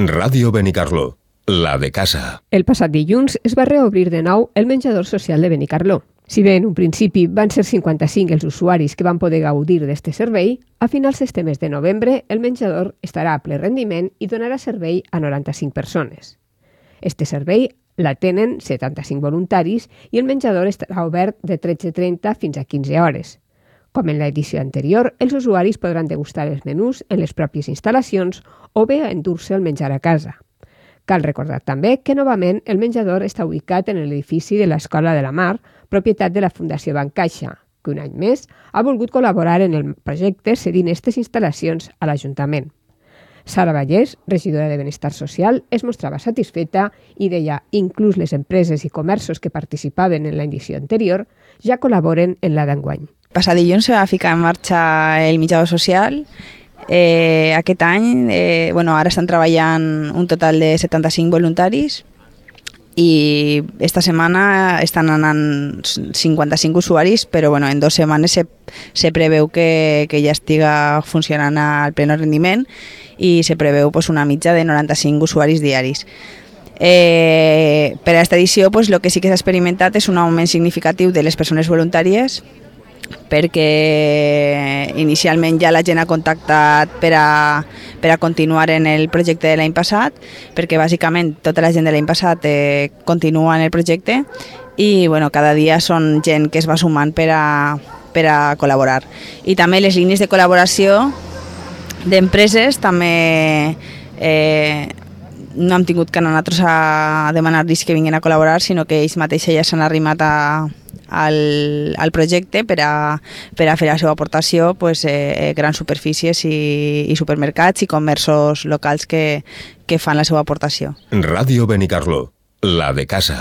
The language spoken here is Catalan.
Ràdio Benicarló, la de casa. El passat dilluns es va reobrir de nou el menjador social de Benicarló. Si bé en un principi van ser 55 els usuaris que van poder gaudir d'aquest servei, a finals d'este mes de novembre el menjador estarà a ple rendiment i donarà servei a 95 persones. Este servei l'atenen 75 voluntaris i el menjador estarà obert de 13:30 fins a 15 hores. Com en l'edició anterior, els usuaris podran degustar els menús en les pròpies instal·lacions o bé endur-se el menjar a casa. Cal recordar també que novament el menjador està ubicat en l'edifici de l'Escola de la Mar, propietat de la Fundació Bancaixa, que un any més ha volgut col·laborar en el projecte cedint aquestes instal·lacions a l'Ajuntament. Sara Vallès, regidora de Benestar Social, es mostrava satisfeta i deia inclús les empreses i comerços que participaven en l'edició anterior ja col·laboren en la d'enguany. Passat dilluns se va ficar en marxa el menjador social. Aquest any, ara estan treballant un total de 75 voluntaris i esta setmana estan anant 55 usuaris, però en 2 setmanes se preveu que ja estiga funcionant al pleno rendiment i se preveu una mitja de 95 usuaris diaris. Per a aquesta edició el que sí que s'ha experimentat és un augment significatiu de les persones voluntàries, perquè inicialment ja la gent ha contactat per a continuar en el projecte de l'any passat, perquè bàsicament tota la gent de l'any passat continua en el projecte i cada dia són gent que es va sumant per a col·laborar. I també les línies de col·laboració d'empreses també no hem tingut que anar nosaltres a demanar-los que vinguin a col·laborar, sinó que ells mateixos ja s'han arrimat al projecte per a fer la seva aportació, grans superfícies i supermercats i comerços locals que fan la seva aportació. Ràdio Benicarló, la de casa.